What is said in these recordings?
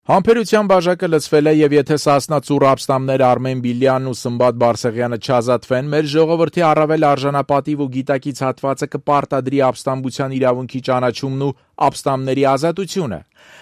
Համբերության բաժակը լցվել է եւ եթե Սասնա ծուռ ապստամբներ Արմեն Բիլյանն ու Սմբատ Բարսեղյանը չազատվեն, մեր ժողովրդի առավել արժանապատիվ ու գիտակից հատվածը կպարտադրի ապստամբության իրավունքի ճանաչումն ու ապստամբների ազատությունը։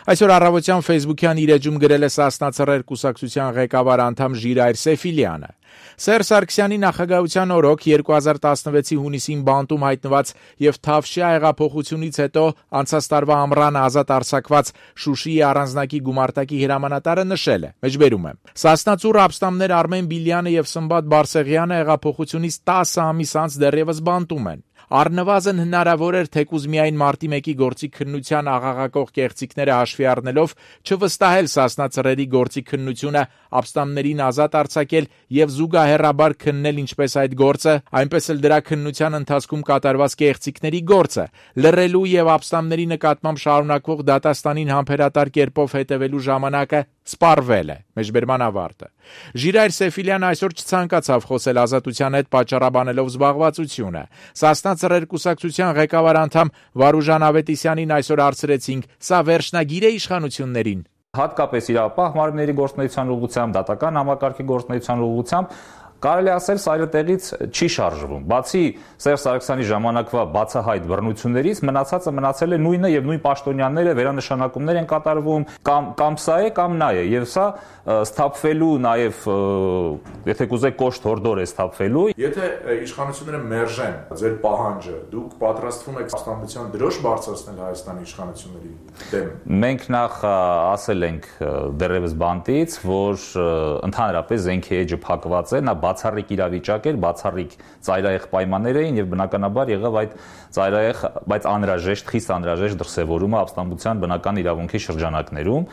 Այսօր առավոտյան Facebook-յան իր էջում գրել է Սասնա ծռեր կուսակցության ղեկավար անդամ Ժիրայր Սեֆիլյանը։ Սերժ Սարգսյանի նախագահության օրոք 2016-ի հունիսին բանտում հայտնված եւ Թավշյա հեղափոխությունից հետո անցած տարվա ամռանը ազատ արձակված Շուշիի առանձնակի գումարտակի հրամանատարը նշել է. Մեջբերում եմ. Սասնա ծուռ ապստամբներ Արմեն Բիլյանը եւ Սմբատ Բարսեղյանը հեղափոխությունից 10 ամիս անց դեռևս բանտում են։ Առնվազն հնարավոր էր թեկուզ միայն մարտի 1-ի գործի քննության աղաղակող կեղծիքները հաշվի առնելով չվստահել Սասնա ծռերի գործի քննությունը, ապստամբներին ազատ արձակել եւ զուգահեռաբար քննել ինչպես այդ գործը, այնպես էլ դրա քննության ընթացքում կատարված կեղծիքների գործը, լռելու եւ ապստամբների նկատմամբ շարունակվող դատաստանին համբերատար կերպով հետևելու ժամանակը սպառվել է։ Մեջբերման ավարտը։ Ժիրայր Սեֆիլյանը այսօր չցանկացավ խոսել ազատության հետ պատճառաբանելով զբաղվածությունը։ Սասնա ծռեր կուսակցության ղեկավար անդամ Վարուժան Ավետիսյանին այսօր հարցրեցինք. «Սա վերջնագիր է իշխանություններին»։ Հատկապես իրավապահ մարմինների գործունեության ուղղությամբ, դատական համակարգի գործունեության ուղղությամբ կարելի ասել սայլը տեղից չի շարժվում։ Բացի Սերժ Սարգսյանի ժամանակվա բացահայտ բռնություններից, մնացածը մնացել է նույնը եւ նույն պաշտոնյաները վերանշանակումներ են կատարվում, կամ սա է, կամ նա է, եւ սա սթափվելու նաեւ, եթե կուզեք կոշտ հորդոր է սթափվելու։ Եթե իշխանությունները մերժեն ձեր պահանջը, դուք պատրաստվում եք ապստամբության դրոշ բարձրացնել Հայաստանի իշխանությունների դեմ։ Մենք նախ ասել ենք դեռևս բանտից, որ ընդհանրապես զենքի էջը փակված է, նա բացառիկ իրավիճակ էր, բացառիկ ծայրահեղ պայմաններ էին եւ բնականաբար եղավ այդ ծայրահեղ, բայց անհրաժեշտ, խիստ անհրաժեշտ դրսևորումը ապստամբության բնական իրավունքի շրջանակներում։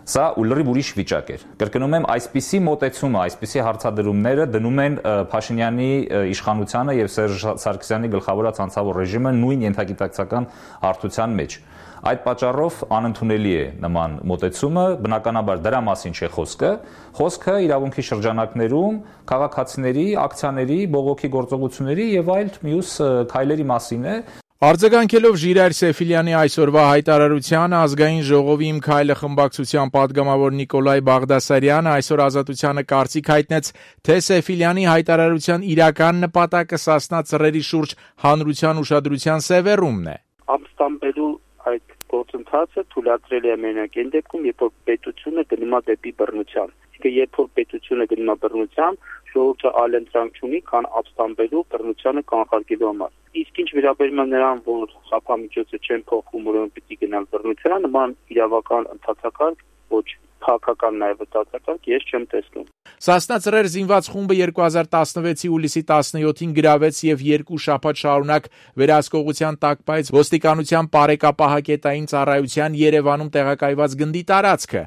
Սա լրիվ ուրիշ վիճակ էր։ Կրկնում եմ, այսպիսի մոտեցումը, այսպիսի հարցադրումները դնում են Փաշինյանի իշխանությանը եւ Սերժ Սարգսյանի գլխավորած անձավոր ռեժիմը նույն ենթագիտակցական հարթության մեջ։ Այդ պատճառով անընդունելի է նման մոտեցումը, բնականաբար դրա մասին չէ խոսքը, խոսքը իրավունքի շրջանակներում քաղաքացիների, ակցիաների, բողոքի գործողությունների եւ այլ մյուս քայլերի մասին է։ Արձագանքելով Ժիրայր Սեֆիլյանի այսօրվա հայտարարությանը ազգային ժողովի Իմ քայլը խմբակցության падգամավոր Նիկոլայ Բաղդասարյանը այսօր Ազատությանը կարծիք հայտնեց, թե Սեֆիլյանի հայտարարության իրական նպատակը Սասնա ծռերի շուրջ հանրության ուշադրության սևեռումն է։ Ապստամբելու այդ գործընթացը թույլատրել է մենակ այն դեպքում, երբ որ պետությունը գնում է դեպի բռնության։ Իսկ երբ որ պետությունը գնում է բռնության, ժողովուրդը այլ ընտրանք չունի, քան ապստամբելու բռնությանը կանխարգելու համար։ Իսկ ինչ վերաբերում է նրան, որ խափամիջոցը չեն փոխվում, ուրեմն պիտի գնալ բռնության, նման իրավական ընթացակարգ ոչ քաղաքական նաև վտակակարգ ես չեմ տեսնում։ Սասնա ծռեր զինված խումբը 2016-ի հուլիսի 17-ին գրավեց եւ 2 շաբաթ շարունակ վերահսկողության տակ պահեց ոստիկանության Պարեկապահակետային ծառայության Երևանում տեղակայված գնդի տարածքը։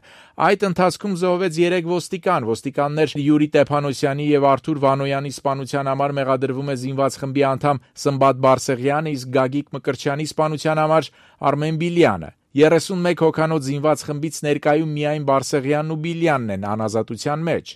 Այդ ընթացքում զոհվեց 3 ոստիկաններ Յուրի Տեփանոսյանի եւ Արթուր Վանոյանի սպանության համար մեղադրվում է զինված խմբի անդամ Սմբատ Բարսեղյանը, իսկ Գագիկ Մկրտչյանի սպանության համար Արմեն Բիլյանը։ 31 հոգանոց զինված խմբից ներկայում միայն Բարսեղյանն ու Բիլյանն են անազատության մեջ։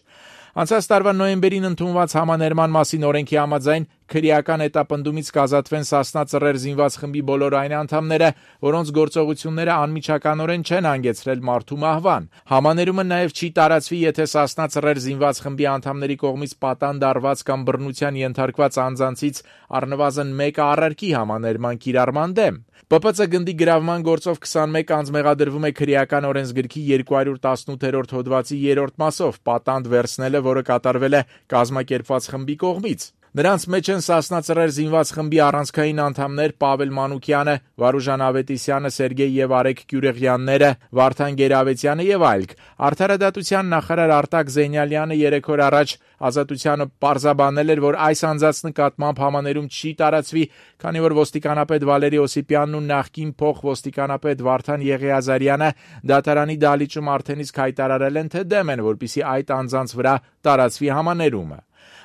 Անցած տարվա նոյեմբերին ընդունված համաներման մասին օրենքի համաձայն քրեական հետապնդումից կազատվեն Սասնա ծռեր զինված խմբի բոլոր այն անդամները, որոնց գործողությունները անմիջականորեն չեն հանգեցրել մարդու մահվան։ Համաներումը նաև չի տարածվի, եթե Սասնա ծռեր զինված խմբի անդամների կողմից պատանդ արված կամ բռնության ենթարկված անձանցից առնվազն մեկը առարկի համաներման կիրառման դեմ։ ՊՊՑ գնդի գրավման գործով 21 անձ մեղադրվում է քրեական օրենսգրքի 218-րդ հոդվածի 3-րդ մասով պատանդ վերցնելը, որը կատարվել է կազմակերպված խմբի կողմից։ Նրանց մեջ են Սասնա ծռեր զինված խմբի առանցքային անդամներ Պավել Մանուկյանը, Վարուժան Ավետիսյանը, Սերգեյ եւ Արեգ Գյուրեղյանները, Վարդան Գերավեցյանը եւ այլք։ Արդարադատության նախարար Արտակ Զենյալյանը 3 օր առաջ Ազատությանը պարզաբանել էր, որ այս անձանց նկատմամբ համաներում չի տարածվի, քանի որ ոստիկանապետ Վալերի Օսիպյանն ու նախկին փոխոստիկանապետ Վարդան Եղիազարյանը դատարանի դահլիճում արդեն իսկ հայտարարել են, թե դեմ են, որպեսզի այդ անձանց վրա տարածվի համաներումը։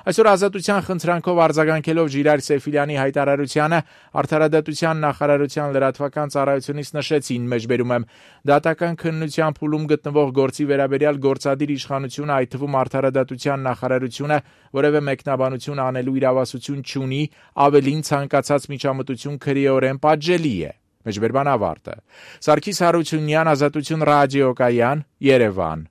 Այսօր Ազատության խնդրանքով արձագանքելով Ժիրայր Սեֆիլյանի հայտարարությանը Արդարադատության նախարարության լրատվական ծառայությունից նշեցին, մեջբերում եմ, դատական քննության փուլում գտնվող գործի վերաբերյալ գործադիր իշխանությունը, այդ թվում Արդարադատության նախարարությունը, որևէ մեկնաբանություն անելու իրավասություն չունի, ավելին ցանկացած միջամտություն քրեորեն պատժելի է։ Մեջբերման ավարտը։ Սարգիս Հարությունյան, Ազատություն ռադիոկայան, Երևան։